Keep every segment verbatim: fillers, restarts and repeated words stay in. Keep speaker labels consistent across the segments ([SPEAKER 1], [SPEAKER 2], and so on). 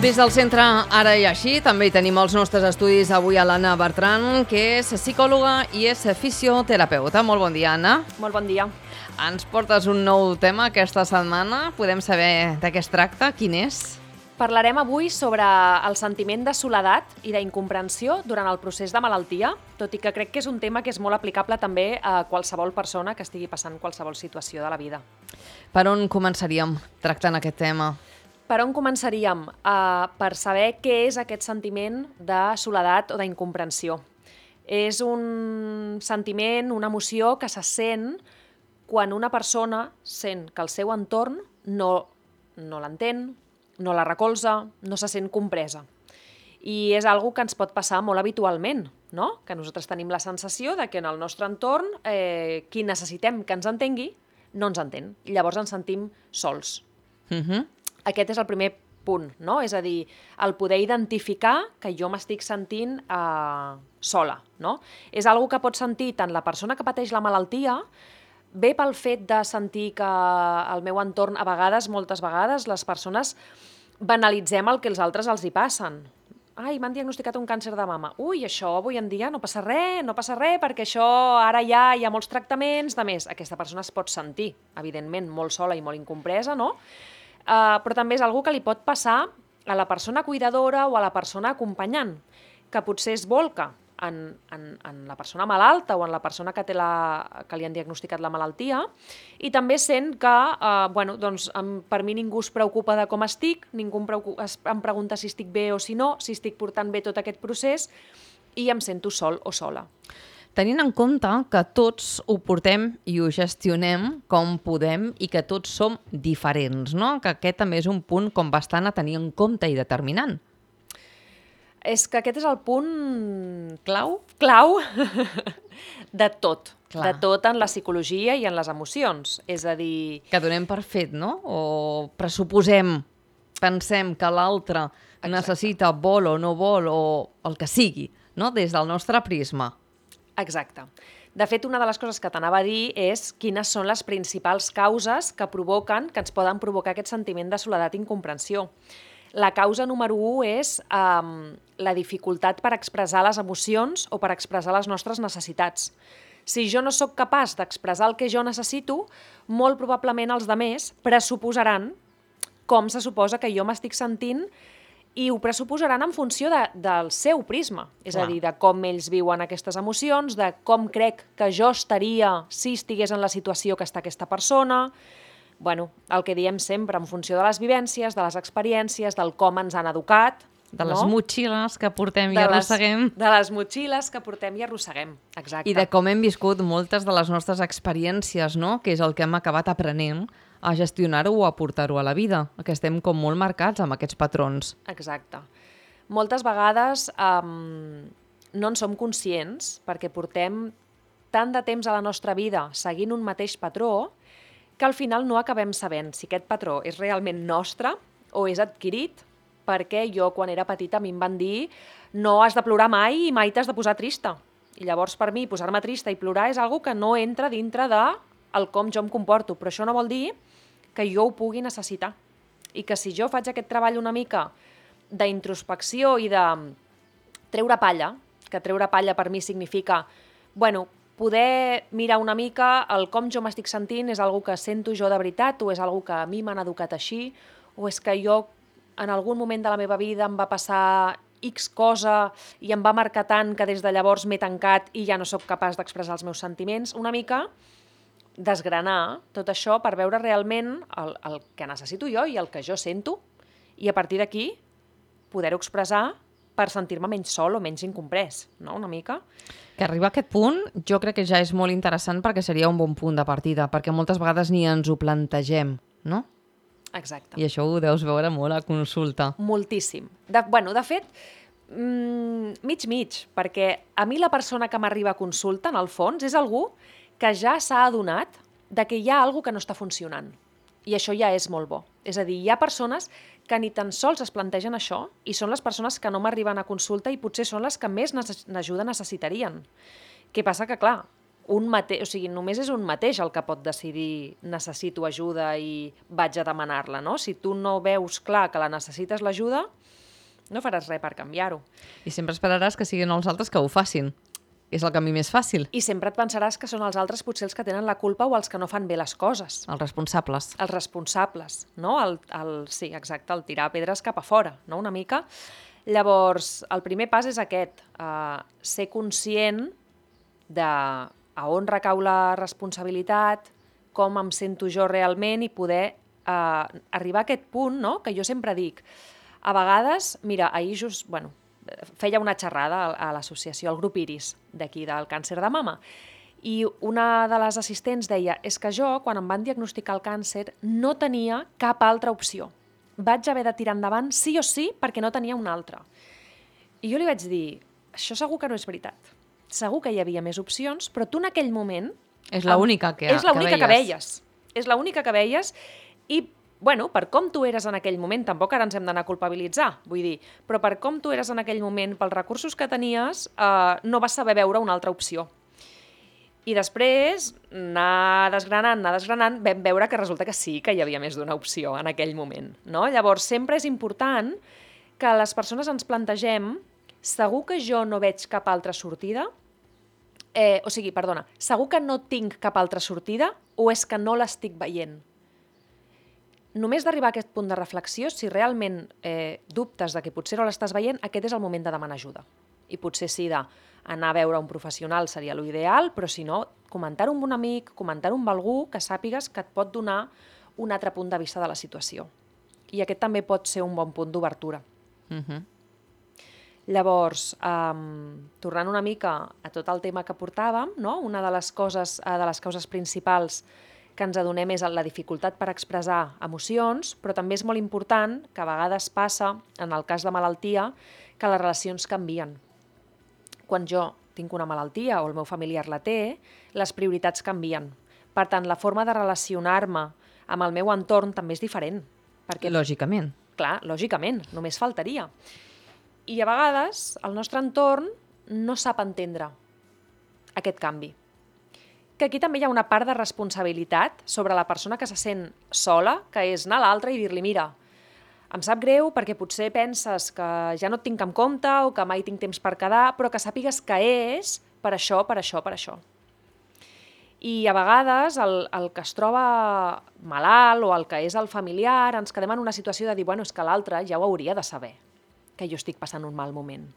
[SPEAKER 1] Des del centre Ara i Així també hi tenim els nostres estudis avui a l'Anna Bertran, que és psicòloga i és fisioterapeuta. Molt bon dia, Anna.
[SPEAKER 2] Molt bon dia.
[SPEAKER 1] Ens portes un nou tema aquesta setmana. Podem saber de què es tracta? Quin és?
[SPEAKER 2] Parlarem avui sobre el sentiment de soledat i d'incomprensió durant el procés de malaltia, tot i que crec que és un tema que és molt aplicable també a qualsevol persona que estigui passant qualsevol situació de la vida.
[SPEAKER 1] Per on començaríem tractant aquest tema?
[SPEAKER 2] Per on començaríem? Uh, per saber què és aquest sentiment de soledat o d'incomprensió. És un sentiment, una emoció que se sent quan una persona sent que el seu entorn no, no l'entén, no la recolza, no se sent compresa. I és algo que ens pot passar molt habitualment, no? Que nosaltres tenim la sensació de que en el nostre entorn eh, qui necessitem que ens entengui no ens entén. I llavors ens sentim sols.
[SPEAKER 1] Uh-huh.
[SPEAKER 2] Aquest és el primer punt, no? És a dir, el poder identificar que jo m'estic sentint eh, sola, no? És algo que pot sentir tant la persona que pateix la malaltia, bé pel fet de sentir que al meu entorn, a vegades, moltes vegades, les persones banalitzem el que els altres els hi passen. Ai, m'han diagnosticat un càncer de mama. Ui, això avui en dia no passa res, no passa res, perquè això ara ja hi ha molts tractaments, de més. Aquesta persona es pot sentir, evidentment, molt sola i molt incompresa, no? Uh, però també és algo que li pot passar a la persona cuidadora o a la persona acompanyant, que potser es volca en, en, en la persona malalta o en la persona que, té la, que li han diagnosticat la malaltia, i també sent que uh, bueno, doncs, em, per mi ningú es preocupa de com estic, ningú em, preocupa, es, em pregunta si estic bé o si no, si estic portant bé tot aquest procés, i em sento sol o sola.
[SPEAKER 1] Tenint en compte que tots ho portem i ho gestionem com podem i que tots som diferents, no? Que aquest també és un punt com bastant a tenir en compte i determinant.
[SPEAKER 2] És que aquest és el punt clau, clau de tot,
[SPEAKER 1] Clar.
[SPEAKER 2] de tot en la psicologia i en les emocions. És a dir...
[SPEAKER 1] Que donem per fet, no? O pressuposem, pensem que l'altre necessita, vol o no vol, o el que sigui, no? Des del nostre prisma.
[SPEAKER 2] Exacte. De fet, una de les coses que t'anava a dir és quines són les principals causes que provoquen, que ens poden provocar aquest sentiment de soledat i incomprensió. La causa número u és um, la dificultat per expressar les emocions o per expressar les nostres necessitats. Si jo no sóc capaç d'expressar el que jo necessito, molt probablement els demés pressuposaran com se suposa que jo m'estic sentint i ho pressuposaran en funció de, del seu prisma, és
[SPEAKER 1] Clar.
[SPEAKER 2] a dir, de com ells viuen aquestes emocions, de com crec que jo estaria si estigués en la situació que està aquesta persona. Bueno, el que diem sempre, en funció de les vivències, de les experiències, del com ens han educat.
[SPEAKER 1] De les
[SPEAKER 2] no?
[SPEAKER 1] motxilles que portem
[SPEAKER 2] de
[SPEAKER 1] i arrosseguem.
[SPEAKER 2] Les, de les motxilles que portem i arrosseguem, exacte.
[SPEAKER 1] I de com hem viscut moltes de les nostres experiències, no? Que és el que hem acabat aprenent a gestionar-ho o a portar-ho a la vida, que estem com molt marcats amb aquests patrons.
[SPEAKER 2] Exacte. Moltes vegades um, no en som conscients perquè portem tant de temps a la nostra vida seguint un mateix patró que al final no acabem sabent si aquest patró és realment nostre o és adquirit perquè jo quan era petita a mi em van dir no has de plorar mai i mai t'has de posar trista. I llavors per mi posar-me trista i plorar és algo que no entra dintre de el com jo em comporto, però això no vol dir que jo ho pugui necessitar. I que si jo faig aquest treball una mica d'introspecció i de treure palla, que treure palla per mi significa, bueno, poder mirar una mica el com jo m'estic sentint, és algo que sento jo de veritat o és algo que a mi m'han educat així, o és que jo en algun moment de la meva vida em va passar X cosa i em va marcar tant que des de llavors m'he tancat i ja no sóc capaç d'expressar els meus sentiments, una mica desgranar tot això per veure realment el, el que necessito jo i el que jo sento i a partir d'aquí poder-ho expressar per sentir-me menys sol o menys incomprès, no? Una mica.
[SPEAKER 1] Que arribar a aquest punt jo crec que ja és molt interessant perquè seria un bon punt de partida, perquè moltes vegades ni ens ho plantegem, no?
[SPEAKER 2] Exacte.
[SPEAKER 1] I això ho deus veure molt a consulta.
[SPEAKER 2] Moltíssim. De, bueno, de fet, mmm, mig-mig, perquè a mi la persona que m'arriba a consulta, en el fons, és algú que ja s'ha adonat de que hi ha alguna cosa que no està funcionant. I això ja és molt bo. És a dir, hi ha persones que ni tan sols es plantegen això i són les persones que no m'arriben a consulta i potser són les que més ajuda necessitarien. Què passa? Que, clar, un mate... o sigui, només és un mateix el que pot decidir necessito ajuda i vaig a demanar-la, no? Si tu no veus clar que la necessites l'ajuda, No faràs res per canviar-ho.
[SPEAKER 1] I sempre esperaràs que siguin els altres que ho facin. És el camí més fàcil.
[SPEAKER 2] I sempre et pensaràs que són els altres potser els que tenen la culpa o els que no fan bé les coses.
[SPEAKER 1] Els responsables.
[SPEAKER 2] Els responsables, no? El, el, sí, exacte, el tirar pedres cap a fora, no? Una mica. Llavors, el primer pas és aquest, uh, ser conscient de a on recau la responsabilitat, com em sento jo realment i poder uh, arribar a aquest punt, no? Que jo sempre dic. A vegades, mira, ahir just, bueno, feia una xerrada a l'associació, al grup Iris, d'aquí, del càncer de mama, i una de les assistents deia, és que jo, quan em van diagnosticar el càncer, no tenia cap altra opció. Vaig haver de tirar endavant sí o sí perquè no tenia una altra. I jo li vaig dir, això segur que no és veritat. Segur que hi havia més opcions, però tu en aquell moment...
[SPEAKER 1] És l'única que,
[SPEAKER 2] és l'única que veies. És l'única que veies i, bueno, per com tu eres en aquell moment, tampoc ara ens hem d'anar a culpabilitzar, vull dir, però per com tu eres en aquell moment, pels recursos que tenies, eh, no vas saber veure una altra opció. I després, anar desgranant, anar desgranant, vam veure que resulta que sí que hi havia més d'una opció en aquell moment. No? Llavors, sempre és important que les persones ens plantegem, segur que jo no veig cap altra sortida? Eh, o sigui, perdona, segur que no tinc cap altra sortida o és que no l'estic veient? Només d'arribar a aquest punt de reflexió, si realment eh, dubtes de que potser no l'estàs veient, aquest és el moment de demanar ajuda. I potser sí d'anar a veure un professional seria l'ideal, però si no, comentar-ho amb un amic, comentar-ho amb algú que sàpigues que et pot donar un altre punt de vista de la situació. I aquest també pot ser un bon punt d'obertura.
[SPEAKER 1] Uh-huh.
[SPEAKER 2] Llavors, um, tornant una mica a tot el tema que portàvem, no? Una de les coses, uh, de les causes principals que ens adonem és la dificultat per expressar emocions, però també és molt important que a vegades passa, en el cas de malaltia, que les relacions canvien. Quan jo tinc una malaltia o el meu familiar la té, les prioritats canvien. Per tant, la forma de relacionar-me amb el meu entorn també és diferent. Perquè,
[SPEAKER 1] lògicament.
[SPEAKER 2] Clar, lògicament, només faltaria. I a vegades el nostre entorn no sap entendre aquest canvi. Que aquí també hi ha una part de responsabilitat sobre la persona que se sent sola, que és anar a l'altra i dir-li, mira, em sap greu perquè potser penses que ja no et tinc en compte o que mai tinc temps per quedar, però que sàpigues que és per això, per això, per això. I a vegades el, el que es troba malalt o el que és el familiar ens quedem en una situació de dir, bueno, és que l'altre ja ho hauria de saber, que jo estic passant un mal moment.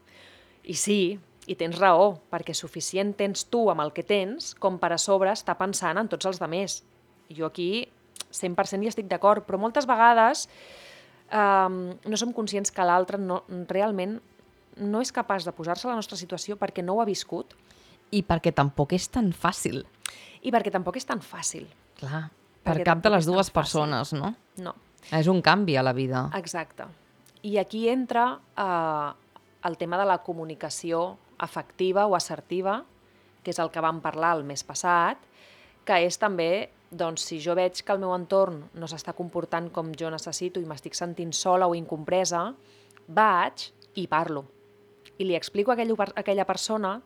[SPEAKER 2] I sí, i tens raó, perquè suficient tens tu amb el que tens com per a sobre estar pensant en tots els altres. Jo aquí cent per cent hi estic d'acord, però moltes vegades um, no som conscients que l'altre no, realment no és capaç de posar-se a la nostra situació perquè no ho ha viscut.
[SPEAKER 1] I perquè tampoc és tan fàcil.
[SPEAKER 2] I perquè tampoc és tan fàcil.
[SPEAKER 1] Clar, per
[SPEAKER 2] Perquè
[SPEAKER 1] cap de
[SPEAKER 2] tampoc
[SPEAKER 1] les
[SPEAKER 2] és tan
[SPEAKER 1] dues
[SPEAKER 2] fàcil.
[SPEAKER 1] persones, no?
[SPEAKER 2] No.
[SPEAKER 1] És un canvi a la vida.
[SPEAKER 2] Exacte. I aquí entra eh, el tema de la comunicació afectiva o assertiva, que és el que vam parlar el mes passat, que és també, doncs, si jo veig que el meu entorn no s'està comportant com jo necessito i m'estic sentint sola o incompresa, vaig i parlo. I li explico a aquella persona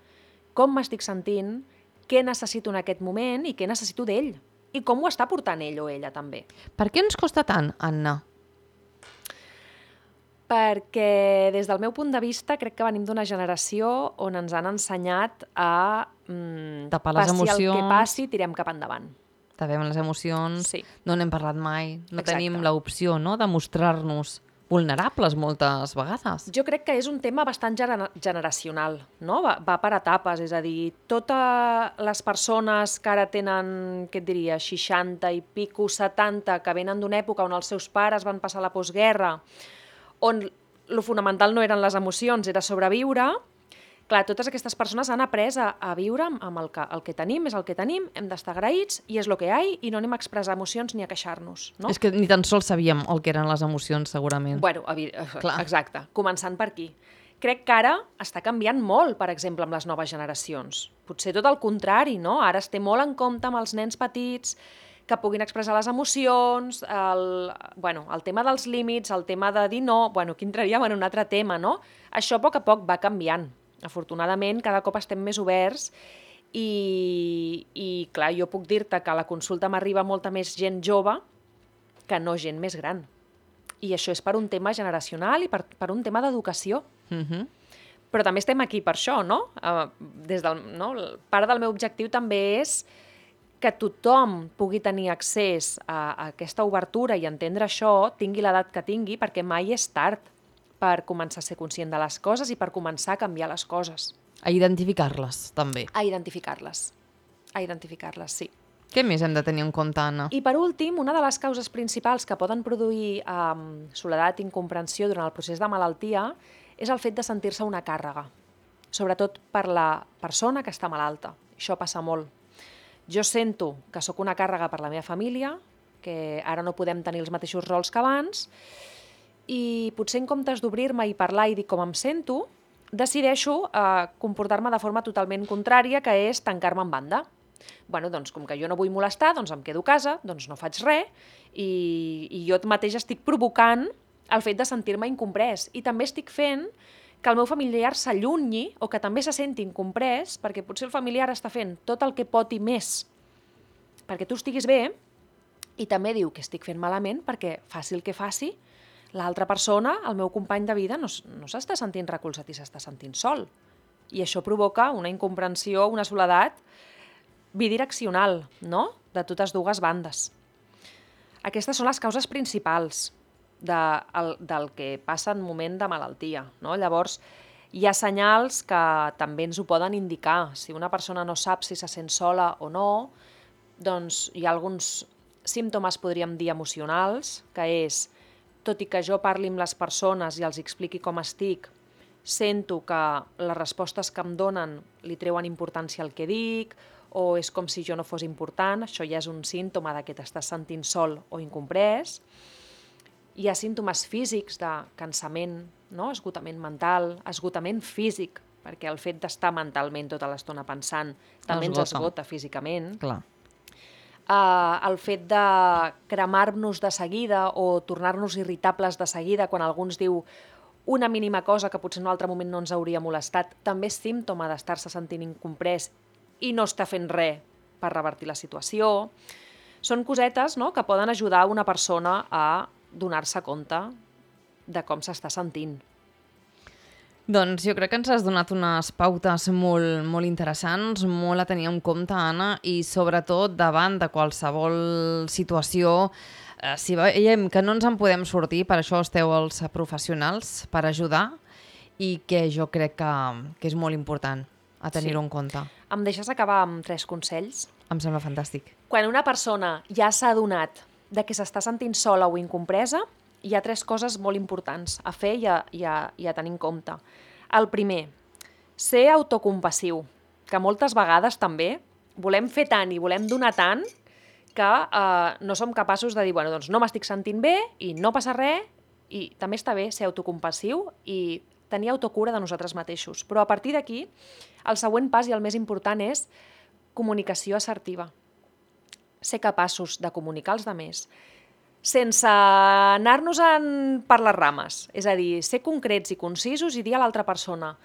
[SPEAKER 2] com m'estic sentint, què necessito en aquest moment i què necessito d'ell. I com ho està portant ell o ella també.
[SPEAKER 1] Per què ens costa tant, Anna?
[SPEAKER 2] Perquè des del meu punt de vista crec que venim d'una generació on ens han ensenyat a mm,
[SPEAKER 1] tapar les
[SPEAKER 2] passi
[SPEAKER 1] emocions.
[SPEAKER 2] el que passi, tirem cap endavant.
[SPEAKER 1] Tapem les emocions,
[SPEAKER 2] Sí.
[SPEAKER 1] no n'hem parlat mai, no
[SPEAKER 2] Exacte.
[SPEAKER 1] tenim l'opció, no?, de mostrar-nos vulnerables moltes vegades.
[SPEAKER 2] Jo crec que és un tema bastant gener generacional, no? Va, va per etapes, és a dir, totes les persones que ara tenen, què et diria, seixanta i pico, setanta, que venen d'una època on els seus pares van passar la postguerra, on lo fonamental no eren les emocions, era sobreviure, clar, totes aquestes persones han après a, a viure amb el que, el que tenim, és el que tenim, hem d'estar agraïts i és el que hi ha i no anem a expressar emocions ni a queixar-nos. No?
[SPEAKER 1] És que ni tan sols sabíem el que eren les emocions, segurament.
[SPEAKER 2] Bueno,
[SPEAKER 1] Clar.
[SPEAKER 2] exacte, començant per aquí. Crec que ara està canviant molt, per exemple, amb les noves generacions. Potser tot el contrari, no? Ara es té molt en compte amb els nens petits que puguin expressar les emocions, el, bueno, el tema dels límits, el tema de dir no, bueno, aquí entraríem en un altre tema, no? Això a poc a poc va canviant. Afortunadament, cada cop estem més oberts i, i clar, jo puc dir-te que a la consulta m'arriba molta més gent jove que no gent més gran. I això és per un tema generacional i per, per un tema d'educació.
[SPEAKER 1] Mhm.
[SPEAKER 2] Però també estem aquí per això, no? Uh, des del, no? Part del meu objectiu també és que tothom pugui tenir accés a, a aquesta obertura i entendre això, tingui l'edat que tingui, perquè mai és tard per començar a ser conscient de les coses i per començar a canviar les coses.
[SPEAKER 1] A identificar-les, també.
[SPEAKER 2] A identificar-les. A identificar-les, sí.
[SPEAKER 1] Què més hem de tenir en compte, Anna?
[SPEAKER 2] I per últim, una de les causes principals que poden produir um, soledat i incomprensió durant el procés de malaltia és el fet de sentir-se una càrrega, sobretot per la persona que està malalta. Això passa molt. Jo sento que sóc una càrrega per la meva família, que ara no podem tenir els mateixos rols que abans, i potser en comptes d'obrir-me i parlar i dir com em sento, decideixo eh, comportar-me de forma totalment contrària, que és tancar-me en banda. Bueno, doncs, com que jo no vull molestar, doncs em quedo a casa, doncs no faig res, i, i jo mateix estic provocant el fet de sentir-me incomprès. I també estic fent que el meu familiar s'allunyi o que també se senti incomprès, perquè potser el familiar està fent tot el que pot i més perquè tu estiguis bé, i també diu que estic fent malament perquè faci el que faci, l'altra persona, el meu company de vida, no, no s'està sentint recolzat i s'està sentint sol. I això provoca una incomprensió, una soledat bidireccional, no? De totes dues bandes. Aquestes són les causes principals de, el, del que passa en moment de malaltia, no? Llavors, hi ha senyals que també ens ho poden indicar. Si una persona no sap si se sent sola o no, doncs hi ha alguns símptomes, podríem dir, emocionals, que és, tot i que jo parli amb les persones i els expliqui com estic, sento que les respostes que em donen li treuen importància al que dic, o és com si jo no fos important, això ja és un símptoma de que t'estàs sentint sol o incomprès. Hi ha símptomes físics de cansament, no? Esgotament mental, esgotament físic, perquè el fet d'estar mentalment tota l'estona pensant també ens esgota físicament.
[SPEAKER 1] Clar.
[SPEAKER 2] Uh, el fet de cremar-nos de seguida o tornar-nos irritables de seguida quan algú ens diu una mínima cosa que potser en un altre moment no ens hauria molestat, també és símptoma d'estar-se sentint incomprès i no està fent res per revertir la situació. Són cosetes, no?, que poden ajudar una persona a donar-se compte de com s'està sentint.
[SPEAKER 1] Doncs jo crec que ens has donat unes pautes molt, molt interessants, molt a tenir en compte, Anna, i sobretot davant de qualsevol situació, eh, si veiem que no ens en podem sortir, per això esteu els professionals, per ajudar, i que jo crec que, que és molt important a tenir-ho en compte.
[SPEAKER 2] Em deixes acabar amb tres consells?
[SPEAKER 1] Em sembla fantàstic.
[SPEAKER 2] Quan una persona ja s'ha adonat de que s'està sentint sola o incompresa, hi ha tres coses molt importants a fer i a, i a, i a tenir en compte. El primer, ser autocompassiu, que moltes vegades també volem fer tant i volem donar tant que eh, no som capaços de dir, bueno, doncs no m'estic sentint bé i no passa res, i també està bé ser autocompassiu i tenir autocura de nosaltres mateixos. Però a partir d'aquí, el següent pas i el més important és comunicació assertiva. Ser capaços de comunicar als altres sense anar-nos per les rames. És a dir, ser concrets i concisos i dir a l'altra persona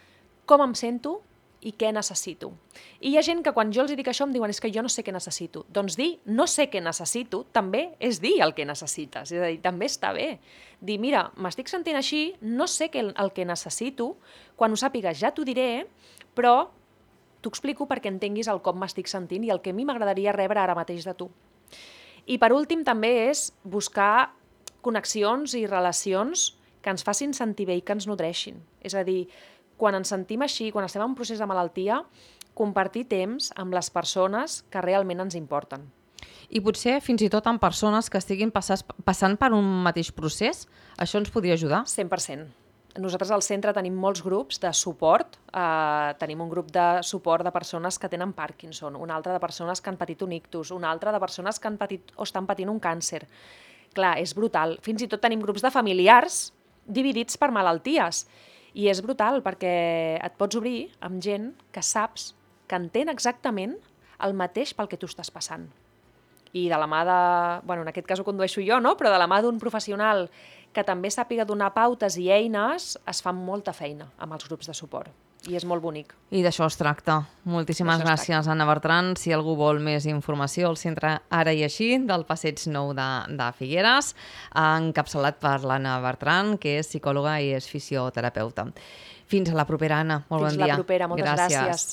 [SPEAKER 2] com em sento i què necessito. I hi ha gent que quan jo els dic això em diuen és que jo no sé què necessito. Doncs dir no sé què necessito també és dir el que necessites. És a dir, també està bé. Dir, mira, m'estic sentint així, no sé el que necessito, quan ho sàpigues ja t'ho diré, però t'ho explico perquè entenguis el com m'estic sentint i el que a mi m'agradaria rebre ara mateix de tu. I per últim també és buscar connexions i relacions que ens facin sentir bé i que ens nodreixin. És a dir, quan ens sentim així, quan estem en un procés de malaltia, compartir temps amb les persones que realment ens importen.
[SPEAKER 1] I potser fins i tot amb persones que estiguin passant, passant per un mateix procés, això ens podria ajudar?
[SPEAKER 2] cent per cent. Nosaltres al centre tenim molts grups de suport. Eh, tenim un grup de suport de persones que tenen Parkinson, un altre de persones que han patit un ictus, un altre de persones que han patit o estan patint un càncer. Clar, és brutal. Fins i tot tenim grups de familiars dividits per malalties. I és brutal perquè et pots obrir amb gent que saps que entén exactament el mateix pel que tu estàs passant. I de la mà de... Bueno, en aquest cas ho condueixo jo, no? Però de la mà d'un professional que també sàpiga donar pautes i eines, es fa molta feina amb els grups de suport. i és molt bonic.
[SPEAKER 1] I d'això es tracta. Moltíssimes
[SPEAKER 2] D'això es
[SPEAKER 1] gràcies, Anna Bertran. Si algú vol més informació, el centre Ara i Així, del Passeig Nou de, de Figueres, encapçalat per l'Anna Bertran, que és psicòloga i és fisioterapeuta. Fins a la propera, Anna. Molt
[SPEAKER 2] Fins
[SPEAKER 1] bon dia.
[SPEAKER 2] la propera. Moltes gràcies. gràcies.